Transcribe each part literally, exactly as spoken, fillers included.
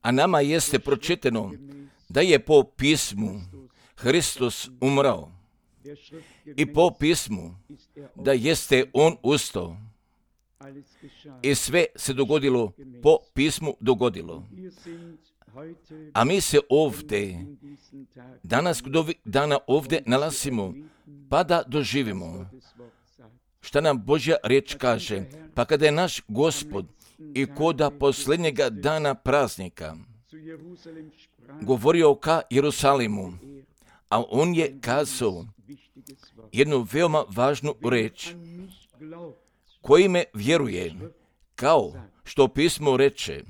A nama jeste pročitano da je po pismu Hristos umrao i po pismu da jeste on ustao. I sve se dogodilo po pismu dogodilo. A mi se ovdje, danas kod ovih dana ovdje nalazimo, pa da doživimo šta nam Božja riječ kaže. Pa kada je naš Gospod i koda posljednjega dana praznika govorio ka Jerusalimu, a on je kazao jednu veoma važnu reč: koji me vjeruje, kao što pismo reče,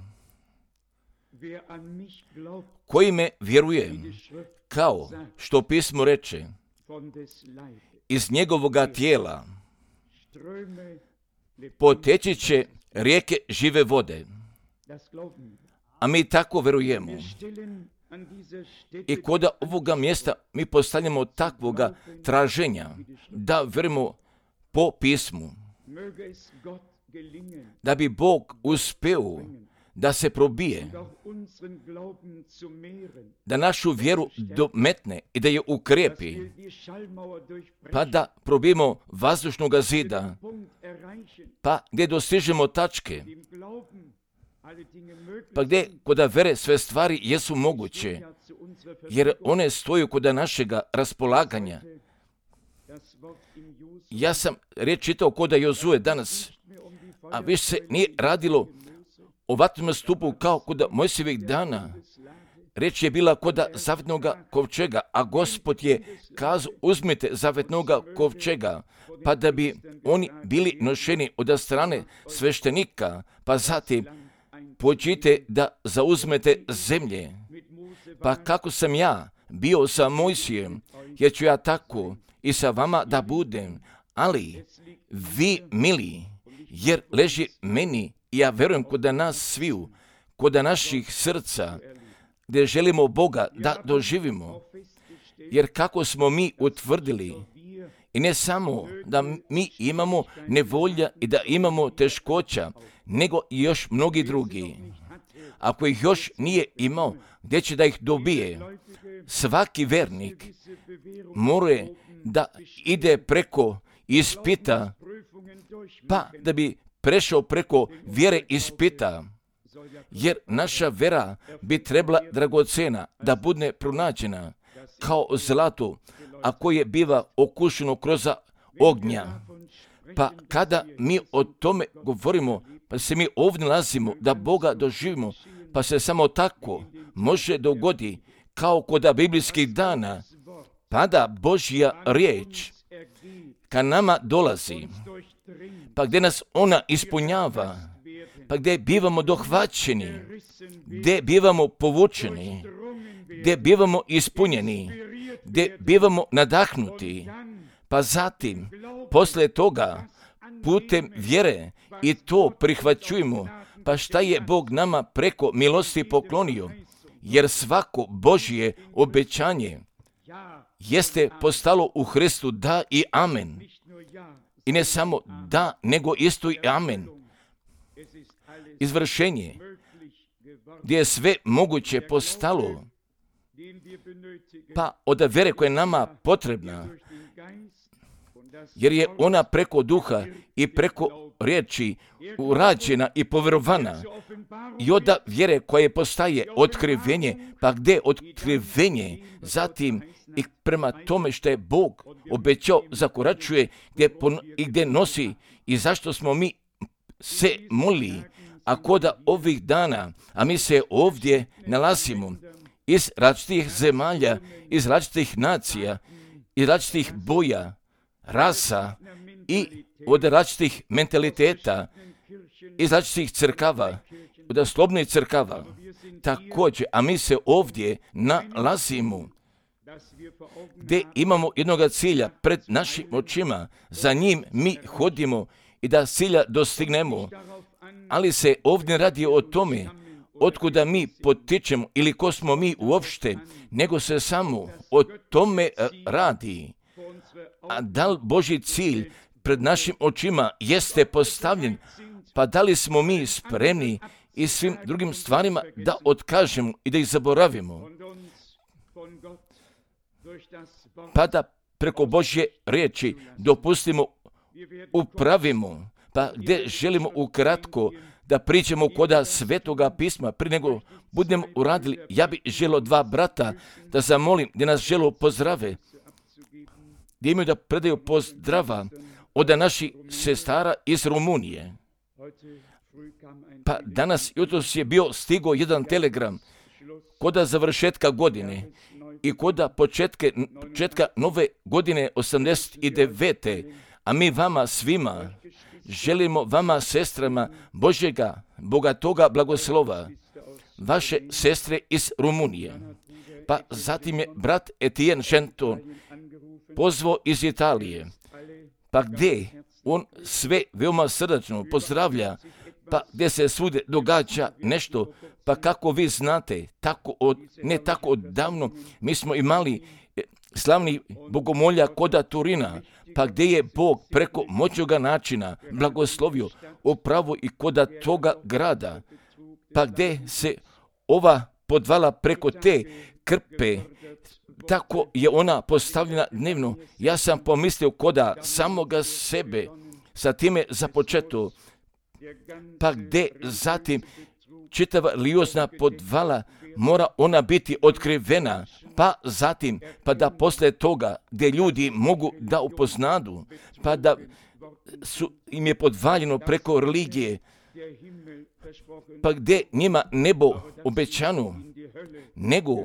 koji me vjeruje, kao što pismo reče, iz njegovoga tijela poteći će rijeke žive vode. A mi tako vjerujemo. I kod ovoga mjesta mi postavljamo takvoga traženja da vjerujemo po pismu, da bi Bog uspeo da se probije, da našu vjeru dometne i da je ukrepi, pa da probijemo vazdušnog zida, pa gdje dostižemo tačke, pa gdje kod vere sve stvari jesu moguće, jer one stoju kod našega raspolaganja. Ja sam riječ čitao kod Jozue danas, a više se nije radilo o vatrenom stupu kao kod Mojsijevih dana. Riječ je bila kod zavetnoga kovčega, a Gospod je kazao: uzmite zavetnoga kovčega, pa da bi oni bili nošeni od strane sveštenika, pa zatim pođite da zauzmete zemlje. Pa kako sam ja bio sa Mojsijem, jer ću ja tako i sa vama da budem, ali vi, mili, jer leži meni, i ja verujem kod nas sviju, kod naših srca, gdje želimo Boga da doživimo. Jer kako smo mi utvrdili, i ne samo da mi imamo nevolja i da imamo teškoća, nego i još mnogi drugi. Ako ih još nije imao, gdje će da ih dobije? Svaki vernik mora da ide preko ispita, pa da bi prešao preko vjere ispita, jer naša vera bi trebala dragocena da bude pronađena kao zlato, a koje biva okušeno kroz ognja. Pa kada mi o tome govorimo, pa se mi ovdje nalazimo da Boga doživimo, pa se samo tako može dogodi kao kod biblijskih dana, pa da Božja riječ ka nama dolazi, pa gdje nas ona ispunjava, pa gdje bivamo dohvaćeni, gdje bivamo povučeni, gdje bivamo ispunjeni, gdje bivamo nadahnuti, pa zatim, poslije toga, putem vjere i to prihvaćujemo, pa šta je Bog nama preko milosti poklonio, jer svako Božje obećanje jeste postalo u Hristu da i amen. I ne samo da, nego isto i amen. Izvršenje, gdje je sve moguće postalo, pa od vere koja je nama potrebna, jer je ona preko duha i preko riječi urađena i povjerovana, i od vjere koja postaje otkrivenje, pa gdje otkrivenje, zatim i prema tome što je Bog obećao zakoračuje gdje pon- i gdje nosi, i zašto smo mi se molili, a koda ovih dana, a mi se ovdje nalazimo iz različitih zemalja, iz različitih nacija, iz različitih boja, rasa i od različitih mentaliteta, iz različitih crkava, od slobodnih crkava. Također, a mi se ovdje nalazimo gdje imamo jednoga cilja pred našim očima, za njim mi hodimo i da cilja dostignemo, ali se ovdje radi o tome otkuda mi potičemo ili ko smo mi uopšte, nego se samo o tome radi. A da li Božji cilj pred našim očima jeste postavljen, Pa da li smo mi spremni i svim drugim stvarima da otkažemo i da ih zaboravimo? Pa da preko Božje riječi dopustimo, upravimo, pa gdje želimo ukratko da pričamo koda Svetoga pisma. Prije nego budemo uradili, ja bih želio dva brata da zamolim gdje nas želo pozdrave, gdje imaju da predaju pozdrava od naših sestara iz Rumunije. Pa danas jutros je bio stigo jedan telegram koda završetka godine i koda početke, početka nove godine osamdeset devete. A mi vama svima želimo, vama sestrama Božjega, bogatoga blagoslova, vaše sestre iz Rumunije. Pa zatim je brat Etienne Genton pozvao iz Italije, pa gdje on sve veoma srdačno pozdravlja, pa gdje se svugdje događa nešto, pa kako vi znate, tako od, ne tako odavno, mi smo imali slavni bogomolja koda Turina, pa gdje je Bog preko moćnoga načina blagoslovio upravo i koda toga grada, pa gdje se ova podvala preko te krpe, tako je ona postavljena dnevno. Ja sam pomislio koda samoga sebe, sa time započeto, pa gdje zatim čitava liozna podvala mora ona biti otkrivena, pa zatim, pa da poslije toga gdje ljudi mogu da upoznadu, pa da su, im je podvaljeno preko religije, pa gdje njima nebo obećano, nego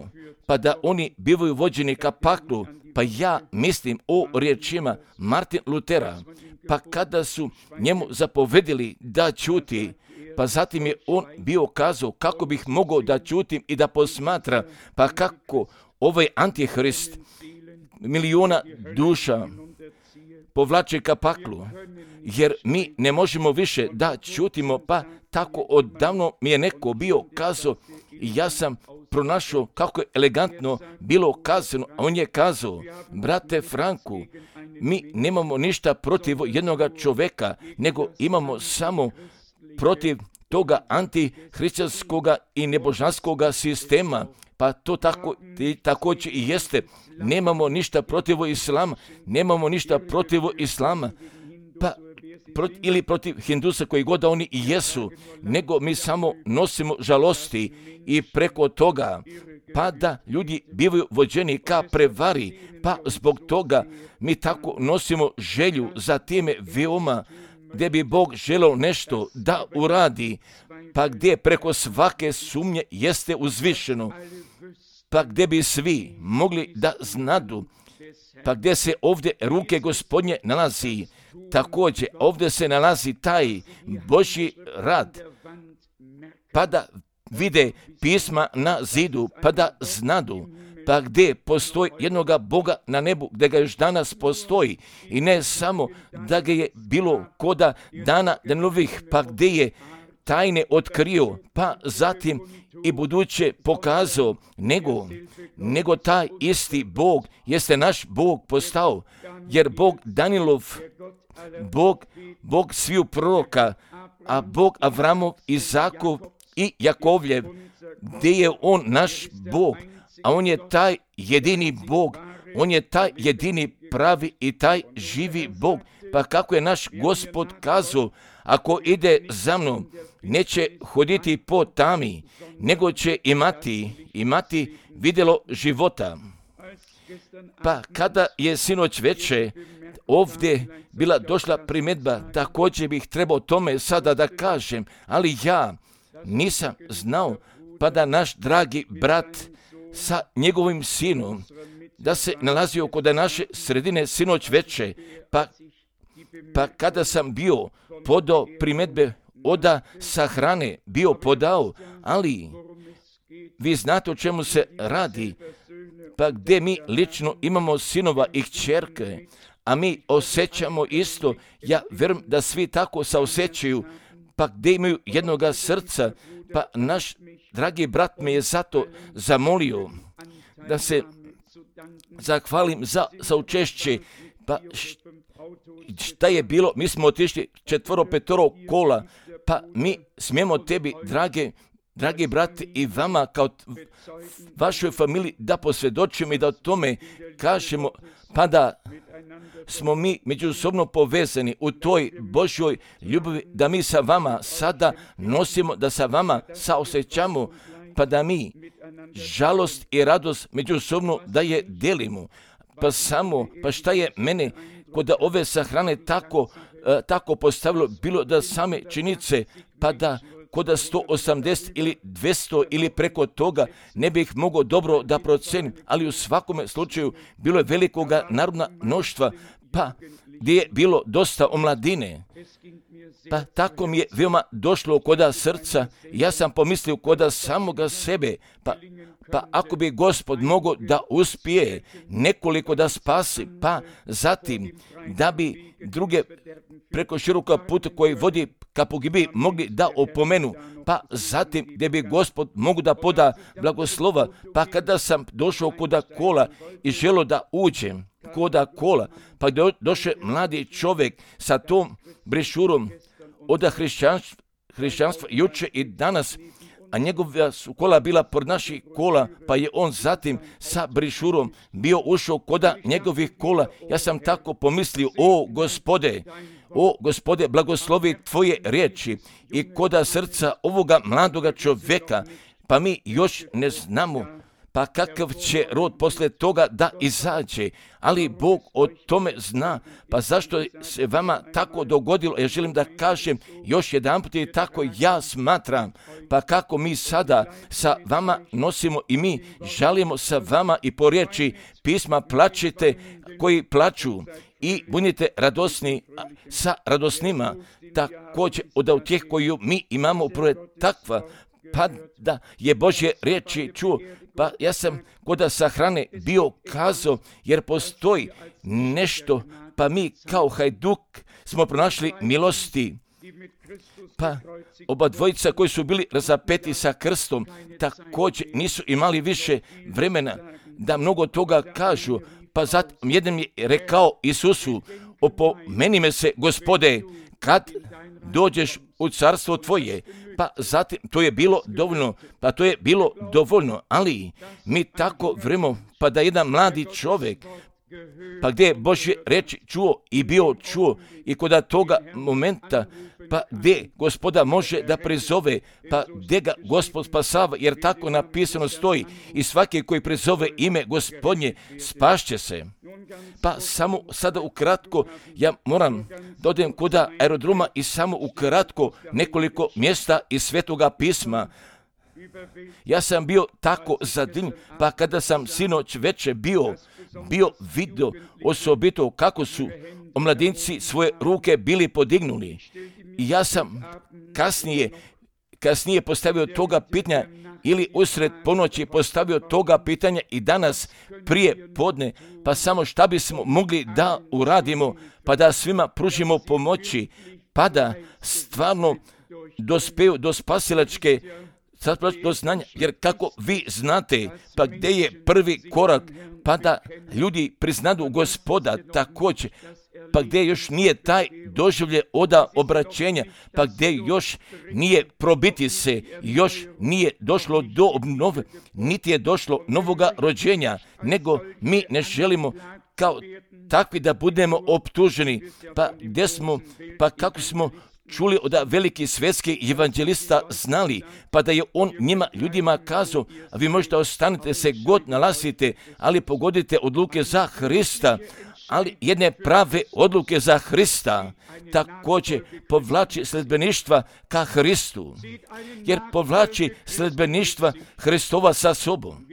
pa da oni bivaju vođeni ka paklu. Pa ja mislim o riječima Martin Lutera, pa kada su njemu zapovedili da ćuti, pa zatim je on bio kazao kako bih mogao da ćutim i da posmatra, pa kako ovaj antihrist miliona duša povlače ka paklu, jer mi ne možemo više da ćutimo, pa tako odavno mi je neko bio kazao i ja sam pronašao kako je elegantno bilo kazano, a on je kazao, brate Franku, mi nemamo ništa protiv jednoga čoveka, nego imamo samo protiv toga antihrišćanskoga i nebožanskoga sistema, pa to tako, također i jeste. Nemamo ništa protiv islama, nemamo ništa protiv islama, pa pro, ili protiv hindusa koji god da oni i jesu, nego mi samo nosimo žalosti i preko toga, pa da ljudi bivaju vođeni ka prevari, pa zbog toga mi tako nosimo želju za time veoma, gdje bi Bog želeo nešto da uradi, pa gdje preko svake sumnje jeste uzvišeno, pa gdje bi svi mogli da znadu, pa gdje se ovdje ruke Gospodnje nalazi, također ovdje se nalazi taj Božji rad, pa da vide pisma na zidu, pa da znadu, pa gdje postoji jednoga Boga na nebu, gdje ga još danas postoji, i ne samo da ga je bilo koda dana Danovih, pa gdje je tajne otkrio, pa zatim i buduće pokazao, nego, nego taj isti Bog jeste naš Bog postao, jer Bog Danilov, Bog, Bog sviju proroka, a Bog Avramov, Izakov i Jakovljev, gdje je on naš Bog, a on je taj jedini Bog, on je taj jedini pravi i taj živi Bog. Pa kako je naš Gospod kazao, ako ide za mnom, neće hoditi po tami, nego će imati, imati vidjelo života. Pa kada je sinoć veče ovdje bila došla primjedba, također bih trebao tome sada da kažem, ali ja nisam znao, pa da naš dragi brat sa njegovim sinom, da se nalazio kod naše sredine sinoć veče, pa, pa kada sam bio podao primjedbe oda sa hrane, bio podao, ali vi znate o čemu se radi, pa gdje mi lično imamo sinova i kćerke, a mi osjećamo isto, ja vjerujem da svi tako se osjećaju, pa gdje imaju jednoga srca, pa naš dragi brat me je zato zamolio da se zahvalim za, za učešće, pa šta je bilo, mi smo otišli četvoro, petoro kola, Pa mi smijemo tebi, drage, dragi brati, i vama kao vašoj familiji da posvjedočimo i da o tome kažemo, pa da smo mi međusobno povezani u toj Božjoj ljubavi, da mi sa vama sada nosimo, da sa vama saosjećamo, pa da mi žalost i radost međusobno da je delimo. Pa samo, pa šta je mene kod ove sahrane tako, e, tako postavilo, bilo da same činjenice, pa da kod sto osamdeset ili dvjesto ili preko toga ne bih mogao dobro da procenim, ali u svakome slučaju bilo je velikoga narodna mnoštva, pa gdje je bilo dosta omladine. Pa tako mi je veoma došlo koda srca, ja sam pomislio koda samoga sebe, pa, pa ako bi Gospod mogao da uspije nekoliko da spasi, pa zatim da bi druge preko široka puta koji vodi ka pogibi mogli da opomenu, pa zatim gdje bi Gospod mogu da poda blagoslova, pa kada sam došao koda kola i želo da uđem koda kola, pa gdje došao mladi čovjek sa tom brešurom od hrišćanstva, hrišćanstva juče i danas, a njegova su kola bila pored naših kola, pa je on zatim sa brišurom bio ušao koda njegovih kola. Ja sam tako pomislio, o Gospode, o Gospode, blagoslovi tvoje riječi i koda srca ovoga mladoga čovjeka, pa mi još ne znamo pa kakav će rod posle toga da izađe, ali Bog o tome zna, pa zašto se vama tako dogodilo, ja želim da kažem još jedan put i tako ja smatram, pa kako mi sada sa vama nosimo i mi žalimo sa vama i po riječi pisma plačite koji plaču i budite radosni sa radosnima, također od tih koju mi imamo upravo takva, pa da je Božje riječi čuo. Pa ja sam kod sahrane bio kazao, jer postoji nešto, pa mi kao hajduk smo pronašli milosti. Pa oba dvojica koji su bili razapeti sa krstom, također nisu imali više vremena da mnogo toga kažu, pa zatim jedan je rekao Isusu, opomeni me se, Gospode, kad dođeš u carstvo tvoje. Pa zatim, to je bilo dovoljno, pa to je bilo dovoljno, ali mi tako vremo, pa da jedan mladi čovjek, pa gdje je Božje reči čuo i bio čuo i kod toga momenta, pa gdje Gospoda može da prizove, pa gdje ga Gospod spasava, jer tako napisano stoji i svaki koji prizove ime Gospodnje spašće se. Pa samo sada ukratko, ja moram da odem kod aerodroma i samo ukratko nekoliko mjesta iz Svetoga pisma. Ja sam bio tako zadivljen, pa kada sam sinoć veče bio, bio vidio osobito kako su omladinci svoje ruke bili podignuli. I ja sam kasnije, kasnije postavio toga pitanja ili usred ponoći postavio toga pitanja i danas prije podne, pa samo šta bismo mogli da uradimo, pa da svima pružimo pomoći, pa da stvarno dospeju do spasilačke do znanja, jer kako vi znate, pa gdje je prvi korak, pa da ljudi priznadu Gospoda također, pa gdje još nije taj doživlje oda obraćenja, pa gdje još nije probiti se, još nije došlo do obnove, niti je došlo novoga rođenja, nego mi ne želimo kao takvi da budemo optuženi, pa gdje smo, pa kako smo čuli od veliki svjetski evanđelista znali, pa da je on njima ljudima kazao, a vi možete ostanite se god nalazite, ali pogodite odluke za Hrista, ali jedne prave odluke za Hrista također povlači sledbeništva ka Hristu, jer povlači sledbeništva Hristova sa sobom.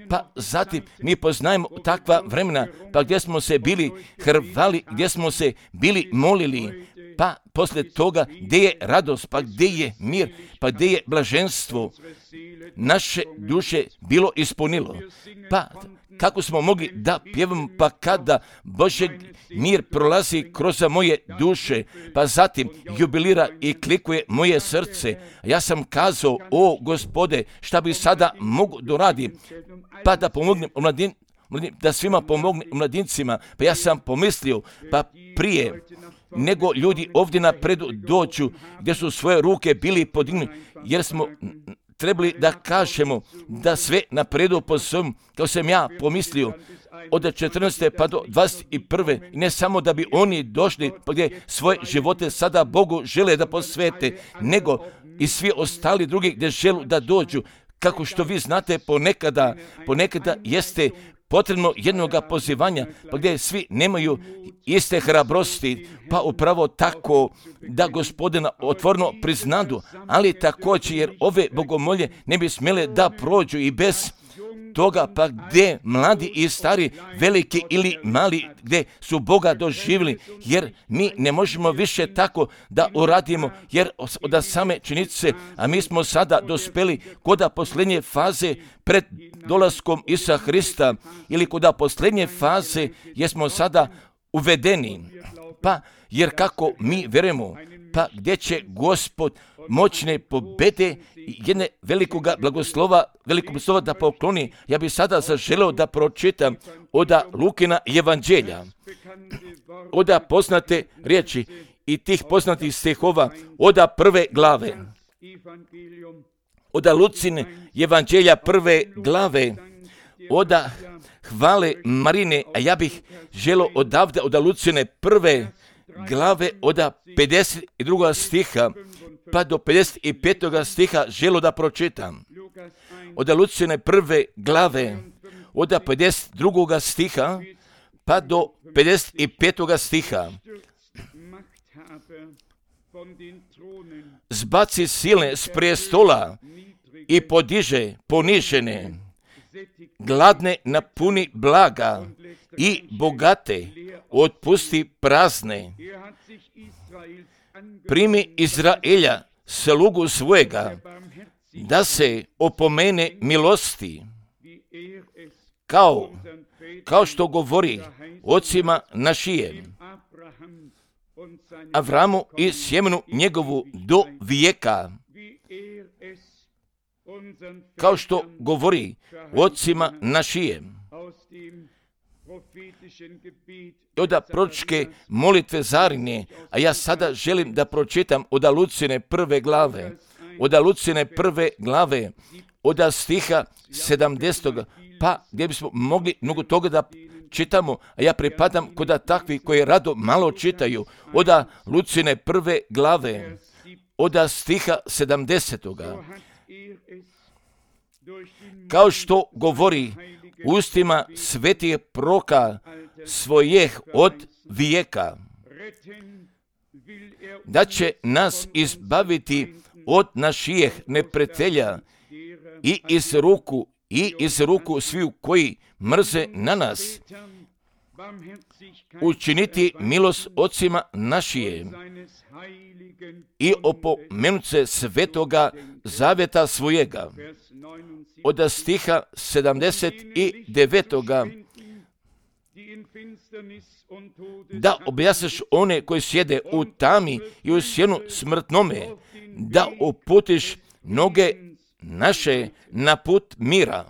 Pa zatim mi poznajemo takva vremena, pa gdje smo se bili hrvali, gdje smo se bili molili, pa poslije toga gdje je radost, pa gdje je mir, pa gdje je blaženstvo, naše duše bilo ispunilo. Pa kako smo mogli da pjevamo, pa kada Božji mir prolazi kroz moje duše, pa zatim jubilira i klikuje moje srce. Ja sam kazao, o Gospode, šta bi sada mogu doradim, pa da pomognem omladin, da svima pomognem mladincima. Pa ja sam pomislio, pa prije, nego ljudi ovdje napredu dođu gdje su svoje ruke bili podignuti, jer smo trebali da kažemo da sve napredu po svom, kao sam ja pomislio, od četrnaeste pa do dvadeset prve ne samo da bi oni došli gdje svoje živote sada Bogu žele da posvete, nego i svi ostali drugi gdje želu da dođu. Kako što vi znate, ponekada, ponekada jeste potrebno jednoga pozivanja, pa gdje svi nemaju iste hrabrosti, pa upravo tako da Gospodina otvorno priznadu, ali također jer ove bogomolje ne bi smjele da prođu i bez toga, pa gdje mladi i stari, veliki ili mali, gdje su Boga doživjeli, jer mi ne možemo više tako da uradimo, jer od same činjenice, a mi smo sada dospeli kod posljednje faze pred dolaskom Isusa Hrista, ili kod posljednje faze jer smo sada uvedeni, pa jer kako mi vjerujemo, pa gdje će Gospod moćne pobede i jedne velikoga blagoslova, velikog blagoslova da pokloni. Ja bih sada zaželeo da pročitam oda Lukina evanđelja, oda poznate riječi i tih poznatih stihova, oda prve glave, oda Lucine evanđelja prve glave, oda hvale Marine, a ja bih želeo odavde oda Lucine prve glave oda pedeset drugog stiha pa do pedeset petog stiha želo da pročitam. Oda Lucine prve glave oda pedeset drugog stiha pa do pedeset petog stiha. Zbaci silne s prestola i podiže ponižene, gladne napuni blaga i bogate otpusti prazne. Primi Izraelja, slugu svojega, da se opomene milosti, kao, kao što govori ocima našije, Avramu i sjemenu njegovu do vijeka, kao što govori ocima našije. Oda proročke molitve Zarine, a ja sada želim da pročitam oda Lucine prve glave, oda Lucine prve glave, oda stiha sedamdeset. Pa gdje bismo mogli mnogo toga da čitamo, a ja pripadam kod takvi koji rado malo čitaju, oda Lucine prve glave, oda stiha sedamdeset. Kao što govori ustima svetih proka svojih od vijeka, da će nas izbaviti od naših neprijatelja i iz ruku i iz ruku sviju koji mrze na nas, učiniti milost ocima našije i opomenut se svetoga zaveta svojega. Od stiha sedamdeset devet. Da objasniš one koji sjede u tami i u sjenu smrtnome, da uputiš noge naše na put mira.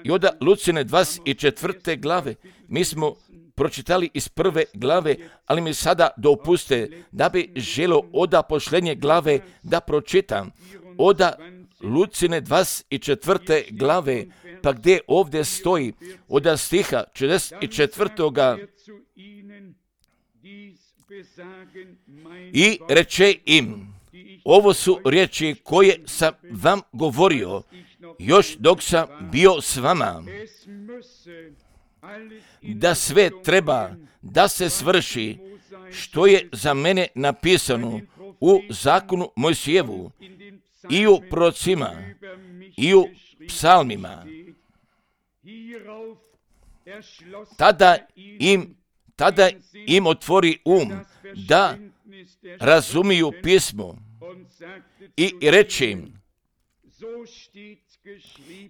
I od Lucine dvadeset četvrte glave mi smo pročitali iz prve glave, ali mi sada dopuste da bi želio oda posljednje glave da pročitam. Oda Lucine dvadeset četvrte glave, pa gdje ovdje stoji oda stiha četrdeset četvrtog. I reče im, ovo su riječi koje sam vam govorio, još dok sam bio s vama, da sve treba da se svrši što je za mene napisano u zakonu Mojsijevu i u prorocima i u psalmima. Tada im, tada im otvori um da razumiju pismo i reći im,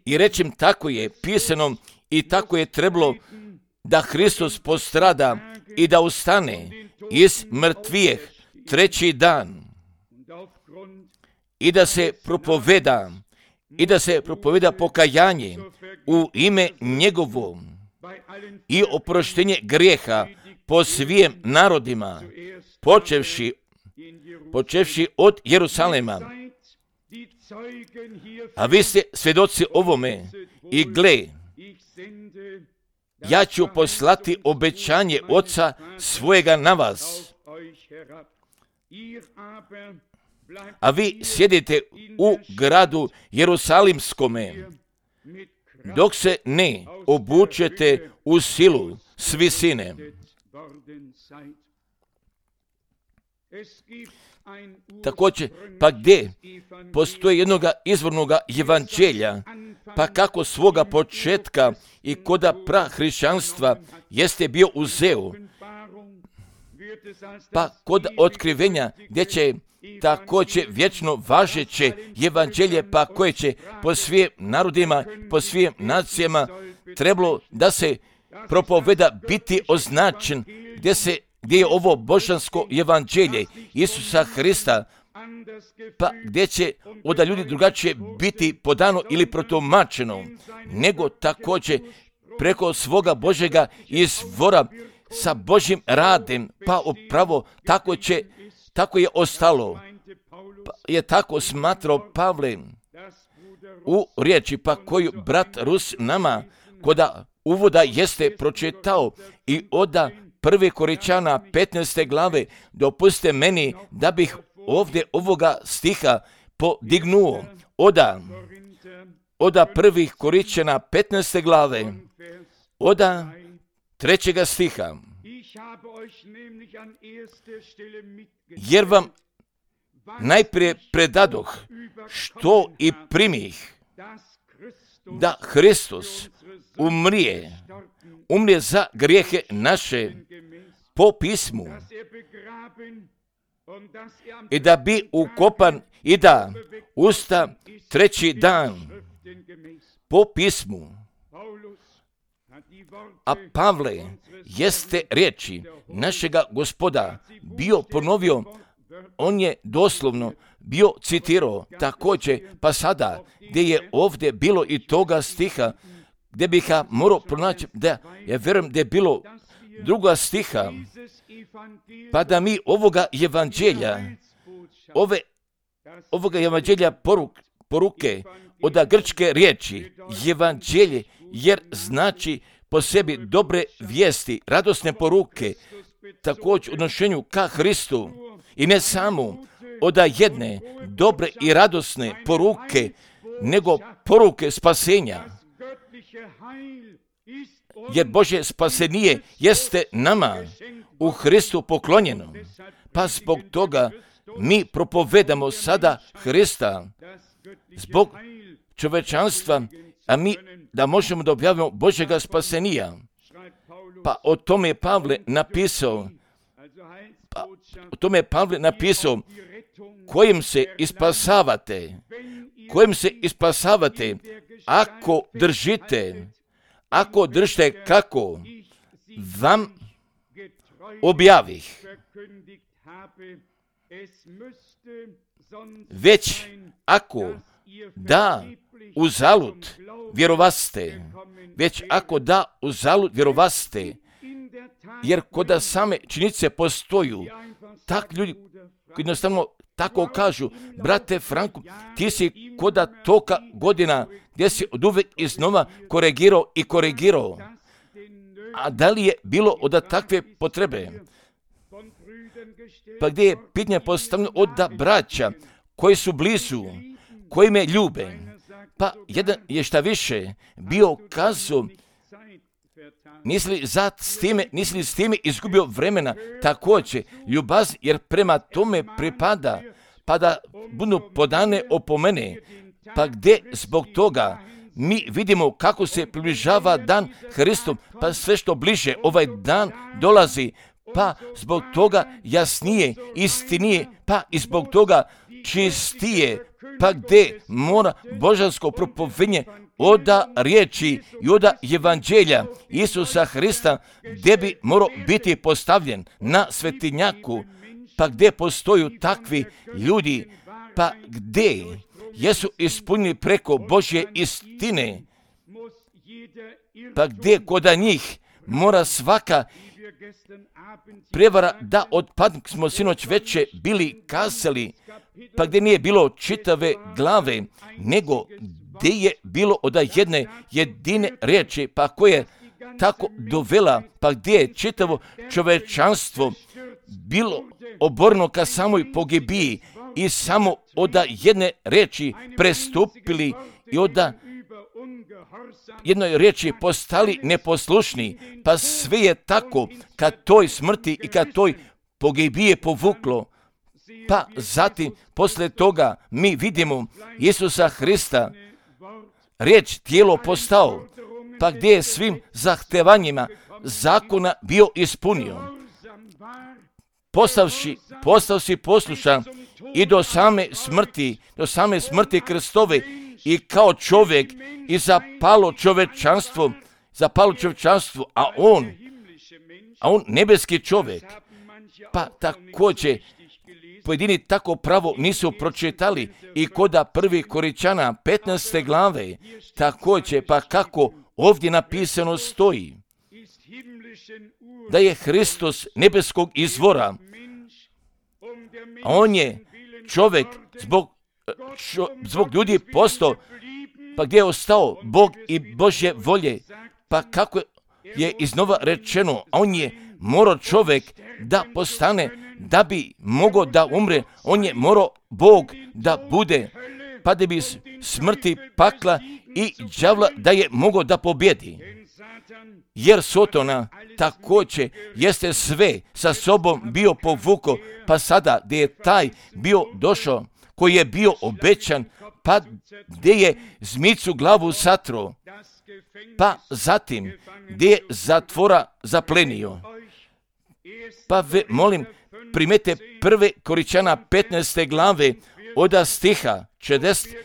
i reći im tako je pisano i tako je trebalo da Hristos postrada i da ustane iz mrtvijeh treći dan i da se propoveda i da se propoveda pokajanje u ime njegovo i oproštenje grijeha po svim narodima, počevši, počevši od Jerusalema. A vi ste svjedoci ovome i gle, ja ću poslati obećanje Oca svojega na vas. A vi sjedite u gradu Jerusalimskome, dok se ne obučete u silu s visine. Također, pa gdje postoji jednoga izvornoga evanđelja, pa kako svoga početka i koda prahrišćanstva jeste bio uzeo, pa kod otkrivenja gdje će također vječno važeće evanđelje, pa koje će po svim narodima, po svim nacijama trebalo da se propoveda biti označen, gdje se gdje je ovo božansko evanđelje Isusa Hrista, pa gdje će od ljudi drugačije biti podano ili protumačeno, nego također preko svoga Božjega izvora sa Božjim radem, pa upravo tako će, tako je ostalo, pa je tako smatrao Pavle u riječi, pa koju brat Rus nama koda uvoda jeste pročitao i oda prve Koričana petnaeste glave, dopustite meni da bih ovdje ovoga stiha podignuo. Oda, oda prvih Koričana petnaeste glave, oda trećega stiha. Jer vam najprije predadoh što i primih, da Hristos umrije, umrije za grijehe naše po pismu i da bi ukopan i da usta treći dan po pismu. A Pavle jeste riječi našega Gospoda bio ponovio, on je doslovno bio citirao također, pa sada gdje je ovdje bilo i toga stiha, gdje bih ga morao pronaći, da ja vjerujem da je bilo druga stiha, pa da mi ovoga evanđelja, ove, ovoga evanđelja poruk, poruke, od grčke riječi, evanđelje, jer znači po sebi dobre vijesti, radosne poruke, također u odnošenju ka Hristu, i ne samo od jedne dobre i radosne poruke, nego poruke spasenja. Jer Božje spasenije jeste nama u Hristu poklonjeno. Pa zbog toga mi propovedamo sada Hrista zbog čovečanstva, a mi da možemo da objavimo Božjega spasenija. Pa o tome je Pavle napisao, pa o tome je Pavle napisao, kojim se ispasavate, kojim se ispasavate, ako držite, ako držite kako vam objavih. Već ako da uzalud vjerovaste, već ako da uzalud vjerovaste, jer koda same činjenice postoju, tak ljudi jednostavno tako kažu, brate Franko, ti si koda toka godina gdje si od uvijek iznova korigirao i korigirao. A da li je bilo od takve potrebe? Pa gdje je pitanje postavljeno od da braća koji su blizu, koji me ljube, pa jedan je šta više bio kazao, nisi li za s time, nisi li s time izgubio vremena, također ljubazni, jer prema tome pripada, pa da budu podane opomene, pa gdje zbog toga mi vidimo kako se približava dan Hristom, pa sve što bliže ovaj dan dolazi, pa zbog toga jasnije, istinije, pa i zbog toga čistije, pa gdje mora božansko propovedanje oda riječi i oda evanđelja Isusa Hrista, gdje bi morao biti postavljen na svetinjaku, pa gdje postoju takvi ljudi, pa gdje jesu ispunjeni preko Božje istine, pa gdje koda njih mora svaka prevara da odpadnik smo sinoć veče bili kazali, pa gdje nije bilo čitave glave, nego gdje je bilo od jedne jedine riječi, pa koja je tako dovela, pa gdje je čitavo čovečanstvo bilo oborno ka samoj pogibiji i samo od jedne riječi prestupili i od jednoj riječi postali neposlušni, pa sve je tako kad toj smrti i kad toj pogibije povuklo. Pa zatim, posle toga, mi vidimo Isusa Hrista, riječ tijelo postao, pa gdje je svim zahtevanjima zakona bio ispunio. Postavši, postavši poslušan i do same smrti, do same smrti Kristove i kao čovjek i zapalo čovečanstvo, zapalo čovečanstvo, a on, a on nebeski čovjek, pa također pojedini tako pravo nisu pročitali i koda prvi Koričana petnaeste glave, također pa kako ovdje napisano stoji, da je Hristos nebeskog izvora, a on je čovjek zbog, čo, zbog ljudi postao, pa gdje je ostao Bog i Božje volje, pa kako je iznova rečeno, a on je morao čovjek da postane, da bi mogao da umre, on je morao Bog da bude, pa da bi smrti, pakla i đavla da je mogao da pobjedi. Jer Sotona također jeste sve sa sobom bio povukao, pa sada gdje je taj bio došao, koji je bio obećan, pa gdje je zmicu glavu satro, pa zatim gdje je zatvora zaplenio. Pa ve, molim, primete prve Koričana petnaeste glave od stiha četrdeset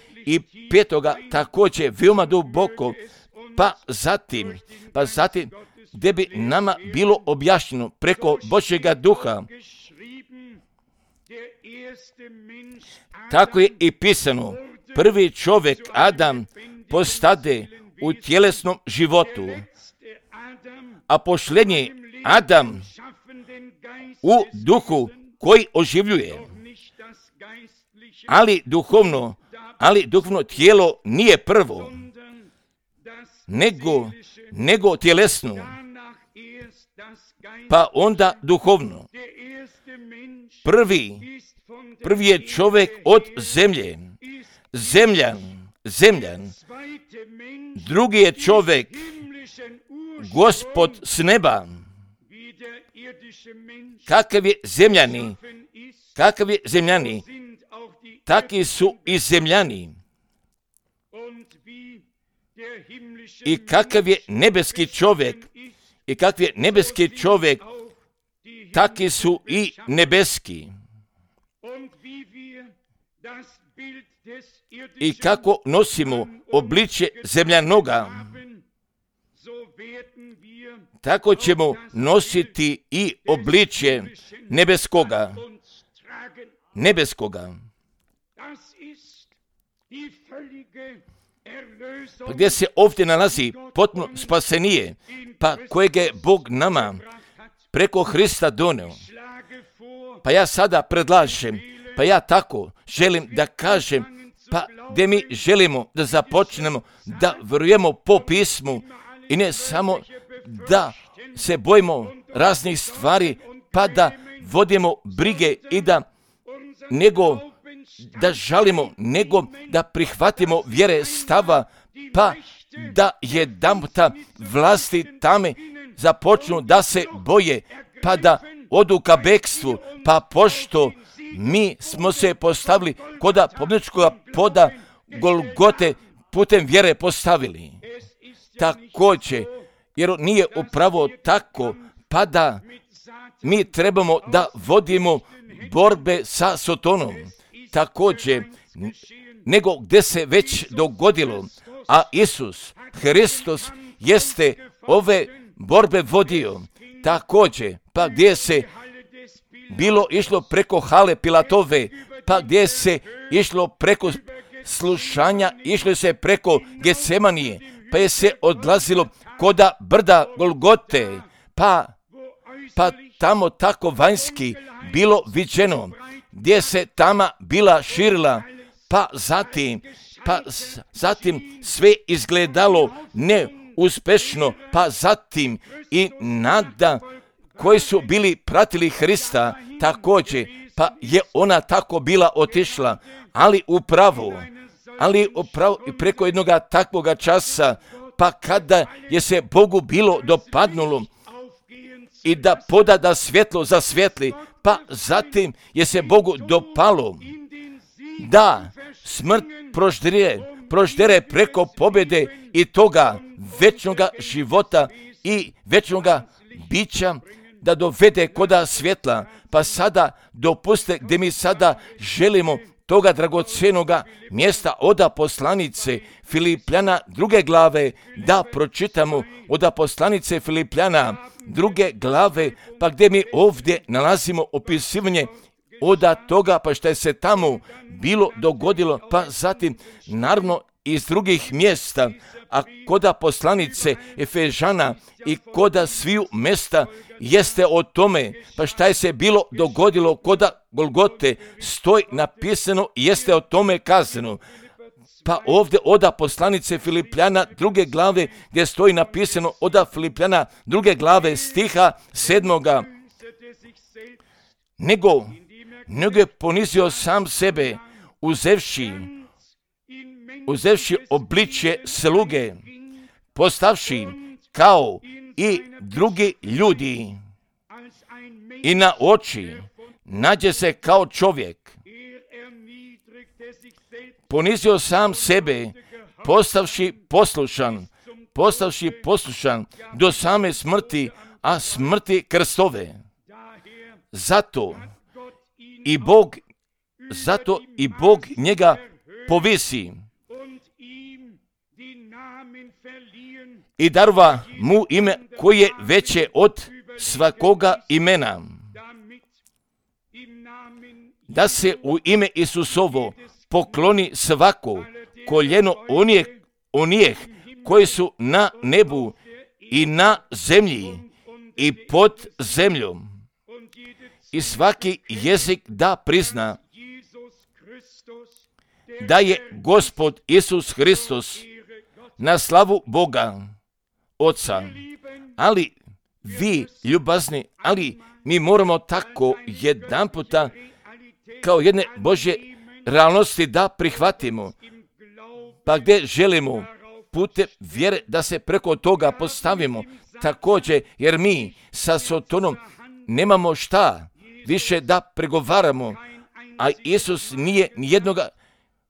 petoga također veoma duboko, pa zatim, pa zatim gdje bi nama bilo objašnjeno preko Božjega duha. Tako je i pisano, prvi čovjek Adam postade u tjelesnom životu, a posljednji Adam u duhu koji oživljuje. Ali duhovno, ali duhovno tijelo nije prvo, nego, nego tjelesno, pa onda duhovno. Prvi, prvi je čovjek od zemlje, zemljan, zemljan. Drugi je čovjek, Gospod s neba. Kakav je zemljani, kakav je zemljani, taki su i zemljani. I kakav je nebeski čovjek, i kakav je nebeski čovjek, taki su i nebeski. I kako nosimo obličje zemljanoga, tako ćemo nositi i obličje nebeskoga, nebeskoga. Pa gdje se ovdje nalazi potpuno spasenije, pa kojeg je Bog nama preko Hrista doneo. Pa ja sada predlažem, pa ja tako želim da kažem, pa gdje mi želimo da započnemo, da vjerujemo po pismu i ne samo da se bojimo raznih stvari, pa da vodimo brige i da nego da žalimo, nego da prihvatimo vjere stava, pa da jedanputa vlasti tame započnu da se boje, pa da odu ka bekstvu, pa pošto mi smo se postavili koda pobjedničkog poda Golgote putem vjere postavili. Također, jer nije upravo tako, pa da mi trebamo da vodimo borbe sa Sotonom. Također, nego gdje se već dogodilo, a Isus Hristos jeste ove borbe vodio. Također, pa gdje se bilo išlo preko hale Pilatove, pa gdje se išlo preko slušanja, išlo se preko Getsemanije, pa je se odlazilo koda brda Golgote, pa pa tamo tako vanjski bilo viđeno, gdje se tama bila širila, pa zatim, pa zatim sve izgledalo neuspešno, pa zatim i nada koji su bili pratili Hrista također, pa je ona tako bila otišla, ali upravo, ali upravo i preko jednoga takvoga časa, pa kada je se Bogu bilo dopadnulo i da poda da svjetlo zasvjetli, pa zatim je se Bogu dopalo da smrt proždere, proždere preko pobjede i toga večnoga života i večnoga bića, da dovede koda svjetla. Pa sada dopuste gdje mi sada želimo toga dragocjenoga mjesta oda poslanice Filipljana druge glave da pročitamo, oda poslanice Filipljana druge glave, pa gdje mi ovdje nalazimo opisivanje oda toga, pa što je se tamo bilo dogodilo, pa zatim naravno iz drugih mjesta, a koda poslanice Efežana i koda sviju mjesta jeste o tome, pa šta je se bilo dogodilo koda Golgote, stoji napisano, jeste o tome kazano. Pa ovdje oda poslanice Filipljana druge glave, gdje stoji napisano oda Filipljana druge glave stiha sedmoga, nego, nego je ponizio sam sebe, uzevši, uzevši obličje sluge, postavši kao i drugi ljudi i na oči nađe se kao čovjek. Ponizio sam sebe, postavši poslušan, postavši poslušan do same smrti, a smrti krstove. Zato i Bog, zato i Bog njega povisi i darva mu ime koje je veće od svakoga imena, da se u ime Isusovo pokloni svako koljeno onih, onih koji su na nebu i na zemlji i pod zemljom, i svaki jezik da prizna da je Gospod Isus Hristos na slavu Boga Oca. Ali vi, ljubazni, ali mi moramo tako jedan puta kao jedne Božje realnosti da prihvatimo, pa gdje želimo putem vjere da se preko toga postavimo također, jer mi sa Sotonom nemamo šta više da pregovaramo, a Isus nije nijednoga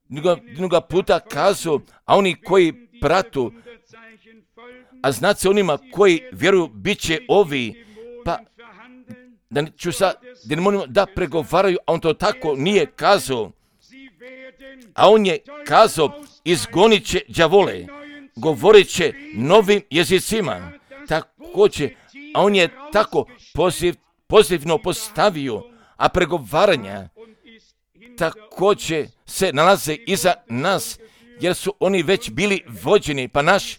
jednoga puta kazao, a oni koji pratu, a znate se onima koji vjeruju bit će ovi, pa da ću sad, da ne moramo da pregovaraju, a on to tako nije kazao, a on je kazao, izgonit će đavole, govorit će novim jezicima, također, a on je tako poziv, pozivno postavio, a pregovaranja također se nalaze iza nas, jer su oni već bili vođeni, pa naš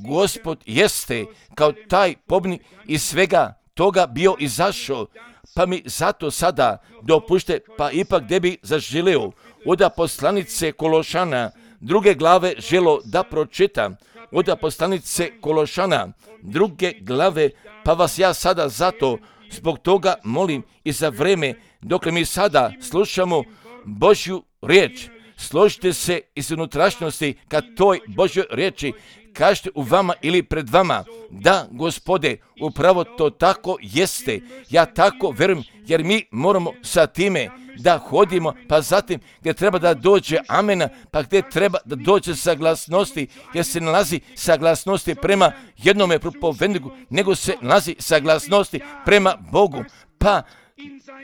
Gospod jeste kao taj pobjednik iz svega toga bio izašao, pa mi zato sada dopušte, pa ipak gdje bi zaželio oda poslanice Kološana druge glave želo da pročitam, oda poslanice Kološana druge glave, pa vas ja sada zato zbog toga molim i za vreme dok mi sada slušamo Božju riječ, složite se iz unutrašnjosti ka toj Božjoj riječi, kažete u vama ili pred vama, da Gospode, upravo to tako jeste, ja tako verujem, jer mi moramo sa time da hodimo, pa zatim gdje treba da dođe amena, pa gdje treba da dođe saglasnosti, jer se nalazi saglasnosti prema jednome propovedniku, nego se nalazi saglasnosti prema Bogu, pa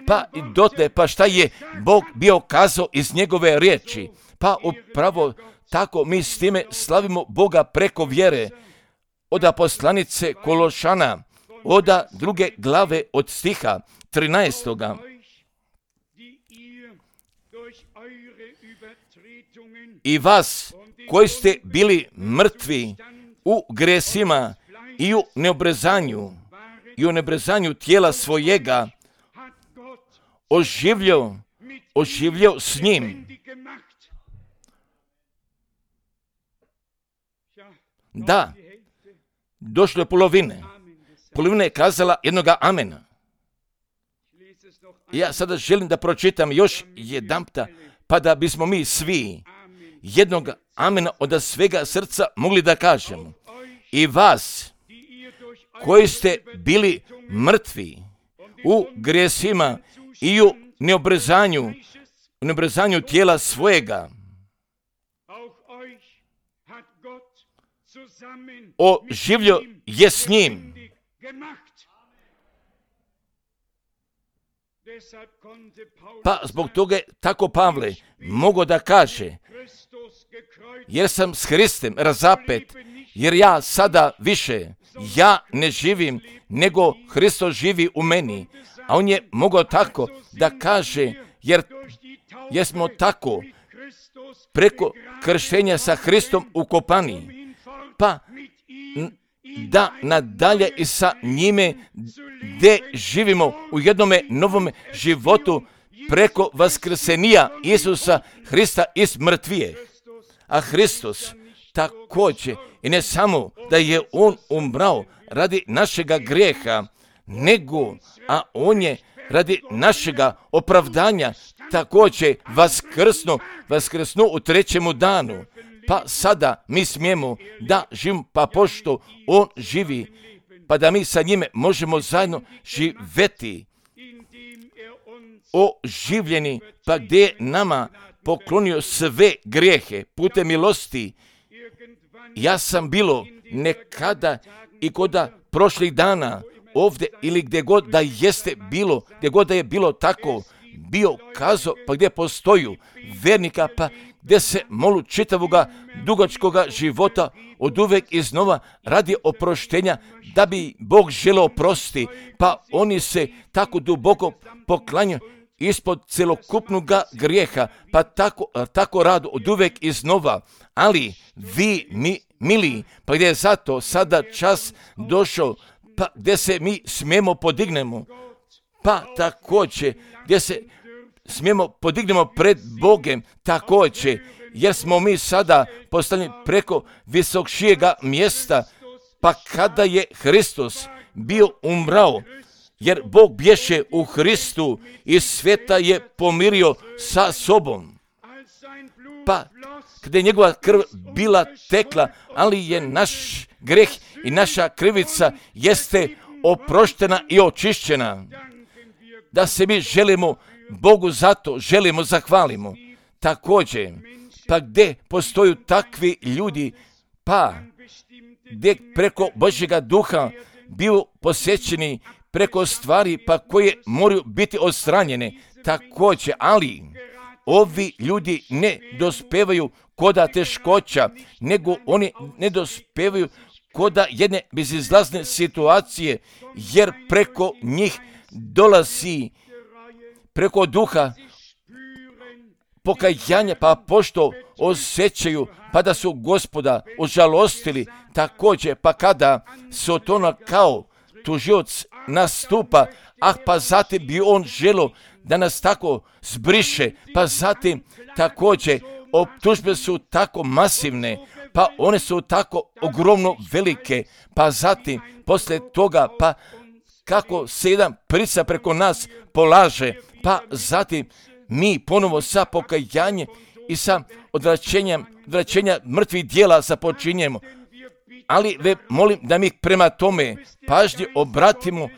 pa i dotle, pa šta je Bog bio kazao iz njegove riječi, pa upravo tako mi s time slavimo Boga preko vjere. Oda poslanice Kološana, oda druge glave od stiha trinaestoga. I vas koji ste bili mrtvi u gresima i u neobrezanju i u nebrezanju tijela svojega oživljao, oživljao s njim. Da, došlo je polovine. Polovina je kazala jednoga amena. Ja sada želim da pročitam još jedanputa, pa da bismo mi svi jednog amena od svega srca mogli da kažemo. I vas, koji ste bili mrtvi u grijesima i u neobrezanju, u neobrezanju tijela svojega, oživljao je s njim. Pa zbog toga je tako Pavle mogao da kaže, jer sam s Hristom razapet, jer ja sada više, ja ne živim, nego Hristos živi u meni. A on je mogao tako da kaže, jer jesmo tako preko krštenja sa Hristom ukopani, pa da nadalje i sa njime gdje živimo u jednome novome životu preko vaskrsenija Isusa Hrista iz mrtvije. A Hristos također, i ne samo da je on umrao radi našega grijeha, nego, a on je radi našega opravdanja također vaskrsno, vaskrsno u trećemu danu. Pa sada mi smijemo da živimo, pa pošto on živi, pa da mi sa njime možemo zajedno živjeti oživljeni, pa gdje je nama poklonio sve grijehe putem milosti. Ja sam bilo nekada i koda prošlih dana ovdje ili gdje god da jeste bilo, gdje god da je bilo tako, bio kazao, pa gdje postoju vernika, pa gdje se molu čitavoga dugačkoga života od uvek iznova radi oproštenja, da bi Bog želeo oprosti, pa oni se tako duboko poklanjaju ispod celokupnoga grijeha, pa tako, tako rado od uvek iznova. Ali vi, mi, mili, pa gdje je zato sada čas došao, pa gdje se mi smijemo podignemo, pa također gdje se smijemo podignemo pred Bogem također, jer smo mi sada postavljeni preko visokšijega mjesta, pa kada je Hristos bio umrao, jer Bog bješe u Hristu i sveta je pomirio sa sobom. Pa kada je njegova krv bila tekla, ali je naš greh i naša krivica jeste oproštena i očišćena. Da se mi želimo Bogu zato, želimo zahvalimo. Također, pa gdje postoju takvi ljudi, pa gdje preko Božjega duha bio posjećeni preko stvari pa koje moraju biti odstranjene. Također, ali ovi ljudi ne dospevaju koda teškoća, nego oni ne dospevaju koda jedne bezizlazne situacije, jer preko njih dolazi preko duha pokajanja, pa pošto osjećaju pa da su Gospoda ožalostili, također pa kada se od toga kao tužioc nastupa, ah pa zatim bi on želio da nas tako zbriše, pa zatim također optužbe su tako masivne, pa one su tako ogromno velike, pa zatim poslije toga pa kako se jedan pritisak preko nas polaže, pa zatim mi ponovo sa pokajanjem i sa odvraćenjem, odvraćenja mrtvih dijela započinjemo. Ali ve, molim da mi prema tome pažnje obratimo,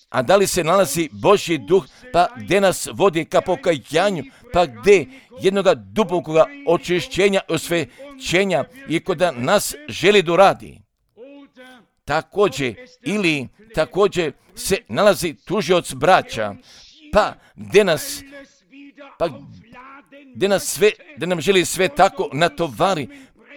a da li se nalazi Božji duh, pa gdje nas vodi ka pokajanju, pa gdje jednoga dubokoga očišćenja, osvećenja i koda nas želi doradi. Također, ili također se nalazi tužioc braća, pa gdje nas, pa gdje nas sve, gdje nam želi sve tako natovari,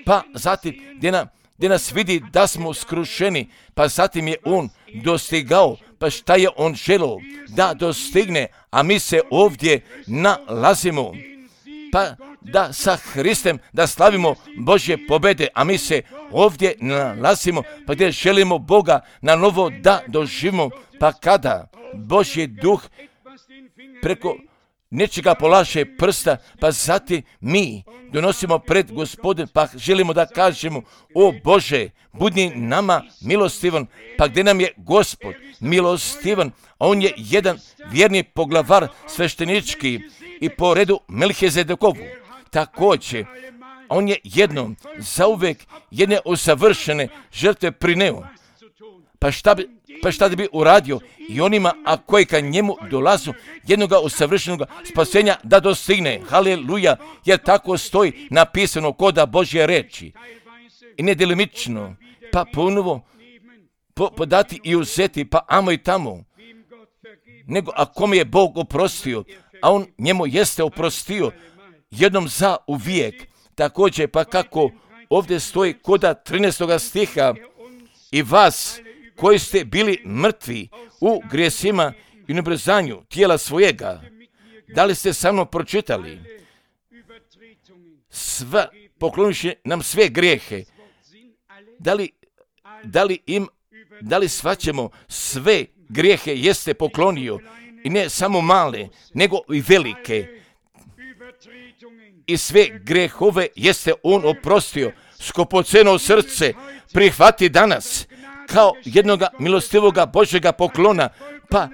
pa zatim gdje, nam, gdje nas vidi da smo skrušeni, pa zatim je on dostigao, pa šta je on želio da dostigne, a mi se ovdje nalazimo, pa da sa Hristem da slavimo Božje pobjede, a mi se ovdje nalazimo, pa gdje želimo Boga na novo da doživimo, Pa kada Božji duh preko nečega polaže prsta, pa zatim mi donosimo pred Gospodin, pa želimo da kažemo, o Bože, budi nama milostivan, pa gdje nam je Gospod milostivan, a on je jedan vjerni poglavar sveštenički i po redu Melhizedekovu. Također, on je jednom zauvek jedne usavršene žrtve prineo. Pa šta bi, pa šta da bi uradio i onima, a koji ka njemu dolazu, jednoga usavršenog spasenja da dostigne. Haleluja, jer tako stoji napisano koda Božje reči. I nedelimično, pa ponovo po, podati i uzeti, pa amo i tamo. Nego ako mi je Bog oprostio, a on njemu jeste oprostio, jednom za uvijek. Također, pa kako ovdje stoji koda trinaestog stiha, i vas koji ste bili mrtvi u grijesima i nebrzanju tijela svojega, da li ste sa mnom pročitali? Sva, pokloniši nam sve grijehe. Da li, da li im, da li svaćemo sve grijehe jeste poklonio, i ne samo male, nego i velike. I sve grehove jeste on oprostio. Skupoceno srce prihvati danas kao jednoga milostivoga Božjega poklona, pa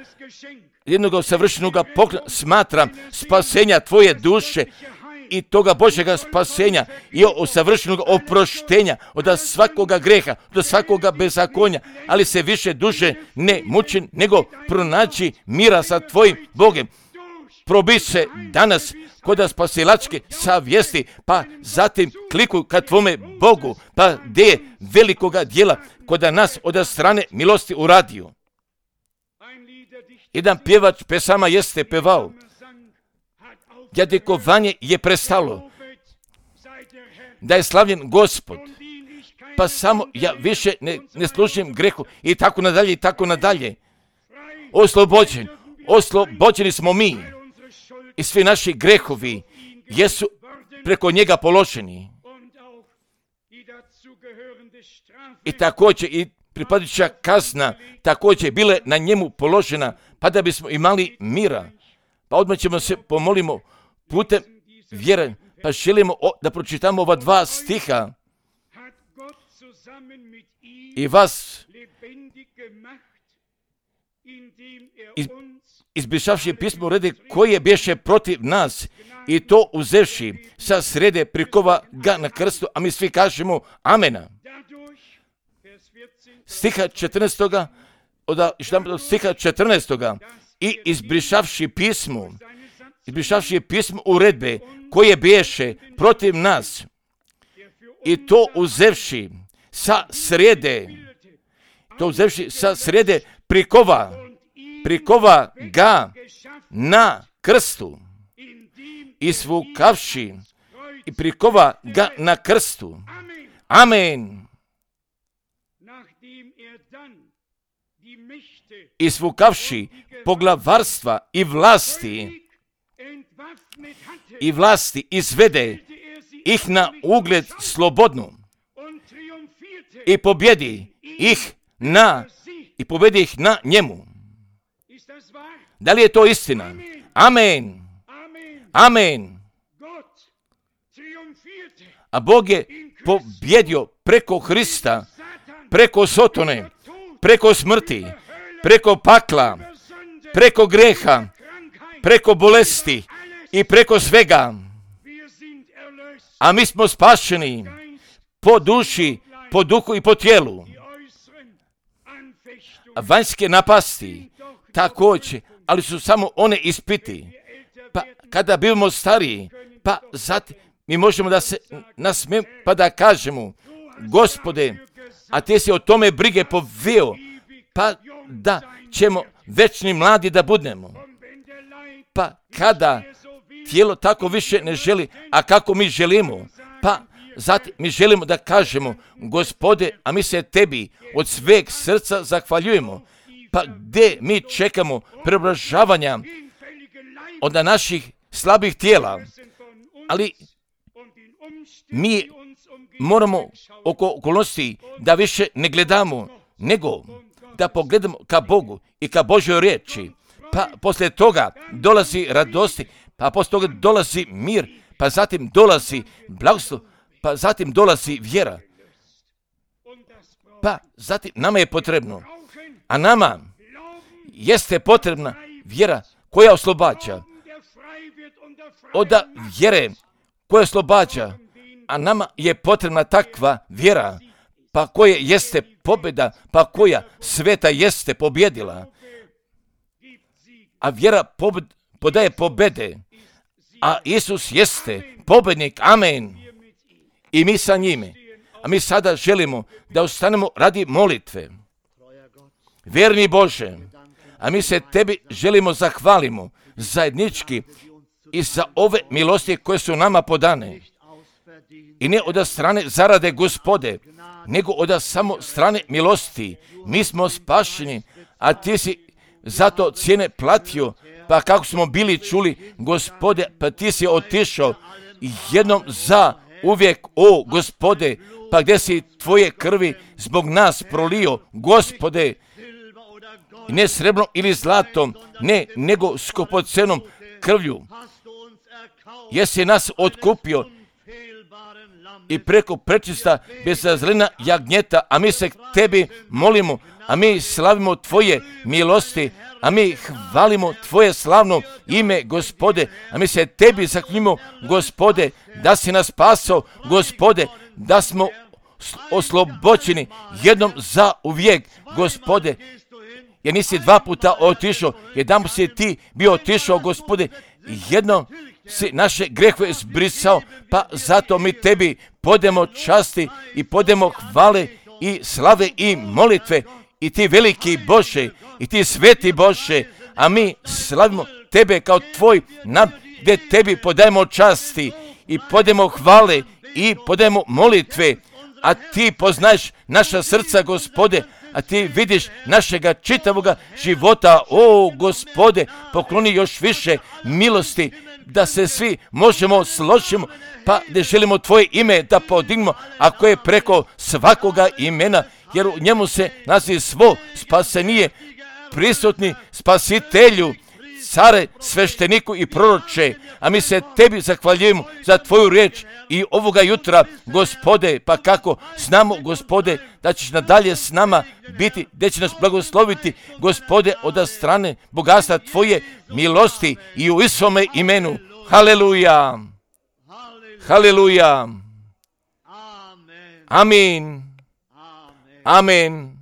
jednoga savršenoga poklona smatram spasenja tvoje duše i toga Božjega spasenja i o savršenog oproštenja od svakoga greha, od svakoga bezakonja, ali se više duše ne muči, nego pronaći mira sa tvojim Bogem. Probi se danas kod spasilačke savjesti, pa zatim klikuj ka tvome Bogu, pa gdje je velikoga dijela kod nas od strane milosti uradio. Jedan pjevač pesama jeste pevao, jadikovanje je prestalo, da je slavljen Gospod, pa samo ja više ne, ne služim grehu i tako nadalje i tako nadalje. Oslobođen, oslobođeni smo mi i svi naši grehovi jesu preko njega položeni. I također i pripadajuća kazna također bile na njemu položena, pa da bismo imali mira. Pa odmah ćemo se pomolimo putem vjere, pa želimo o, da pročitamo ova dva stiha. I vas iz, izbrišavši pismo rede koje bješe protiv nas i to uzevši sa srede prikova ga na krstu, a mi svi kažemo amena. Stiha četrnaestoga od stiha četrnaestoga i izbrišavši pismo, izbrišavši pismo uredbe koje bješe protiv nas i to uzevši sa srede, to uzevši sa srede prikova, prikova ga na krstu i svukavši i prikova ga na krstu. Amen. I svukavši poglavarstva i vlasti i vlasti izvede ih na ugled slobodnu i pobjedi ih na i pobjedi ih na njemu. Da li je to istina? Amen. Amen. A Bog je pobjedio preko Hrista, preko Sotone, preko smrti, preko pakla, preko greha, preko bolesti i preko svega. A mi smo spašeni po duši, po duhu i po tijelu. A vanjske napasti također, ali su samo one ispiti. Pa kada bivamo stariji, pa zatim mi možemo da se nasmijemo pa da kažemo, Gospode, a ti si o tome brige poveo, pa da ćemo večni mladi da budemo. Pa kada tijelo tako više ne želi, a kako mi želimo, pa zatim mi želimo da kažemo, Gospode, a mi se tebi od sveg srca zahvaljujemo. Pa gdje mi čekamo preobražavanja od naših slabih tijela, ali mi moramo oko okolnosti da više ne gledamo, nego da pogledamo ka Bogu i ka Božjoj riječi. Pa poslije toga dolazi radosti, pa poslije toga dolazi mir, pa zatim dolazi blagoslov, pa zatim dolazi vjera. Pa zatim nama je potrebno, a nama jeste potrebna vjera koja oslobađa. Od vjere koja oslobađa, a nama je potrebna takva vjera, pa koja jeste pobjeda, pa koja sveta jeste pobjedila. A vjera pobed, podaje pobjede, a Isus jeste pobjednik, amen. I mi sa njime. A mi sada želimo da ostanemo radi molitve. Vjerni Bože, a mi se tebi želimo zahvalimo zajednički i za ove milosti koje su nama podane. I ne od strane zarade Gospode, nego od samo strane milosti. Mi smo spašeni, a ti si zato cijene platio, pa kako smo bili čuli, Gospode, pa ti si otišao jednom za uvijek, o Gospode, pa gdje si tvoje krvi zbog nas prolio, Gospode, ne srebrnom ili zlatom, ne, nego skupocenom krvlju. Jesi nas otkupio i preko prečista bezazlena jagnjeta, a mi se tebi molimo, a mi slavimo tvoje milosti, a mi hvalimo tvoje slavno ime, Gospode, a mi se tebi zahvalimo, Gospode, da si nas spasao, Gospode, da smo oslobođeni jednom za uvijek, Gospode, jer nisi dva puta otišao, jedan si ti bio otišao, Gospode, jednom si naše grehove zbrisao, pa zato mi tebi podemo časti i podemo hvale i slave i molitve, i ti veliki Bože, i ti sveti Bože, a mi slavimo tebe kao tvoj nam, gdje tebi podajemo časti i podemo hvale i podajemo molitve, a ti poznaješ naša srca, Gospode, a ti vidiš našega čitavoga života, o Gospode, pokloni još više milosti, da se svi možemo složimo, pa da želimo tvoje ime da podignemo, ako je preko svakoga imena, jer u njemu se naziv svo spasenije, prisutni spasitelju, care, svešteniku i proroče, a mi se tebi zahvaljujemo za tvoju riječ i ovoga jutra, Gospode, pa kako znamo, Gospode, da ćeš nadalje s nama biti, da će nas blagosloviti, Gospode, od strane bogatstva tvoje milosti i u Isome imenu. Haleluja! Haleluja! Amin! Amin!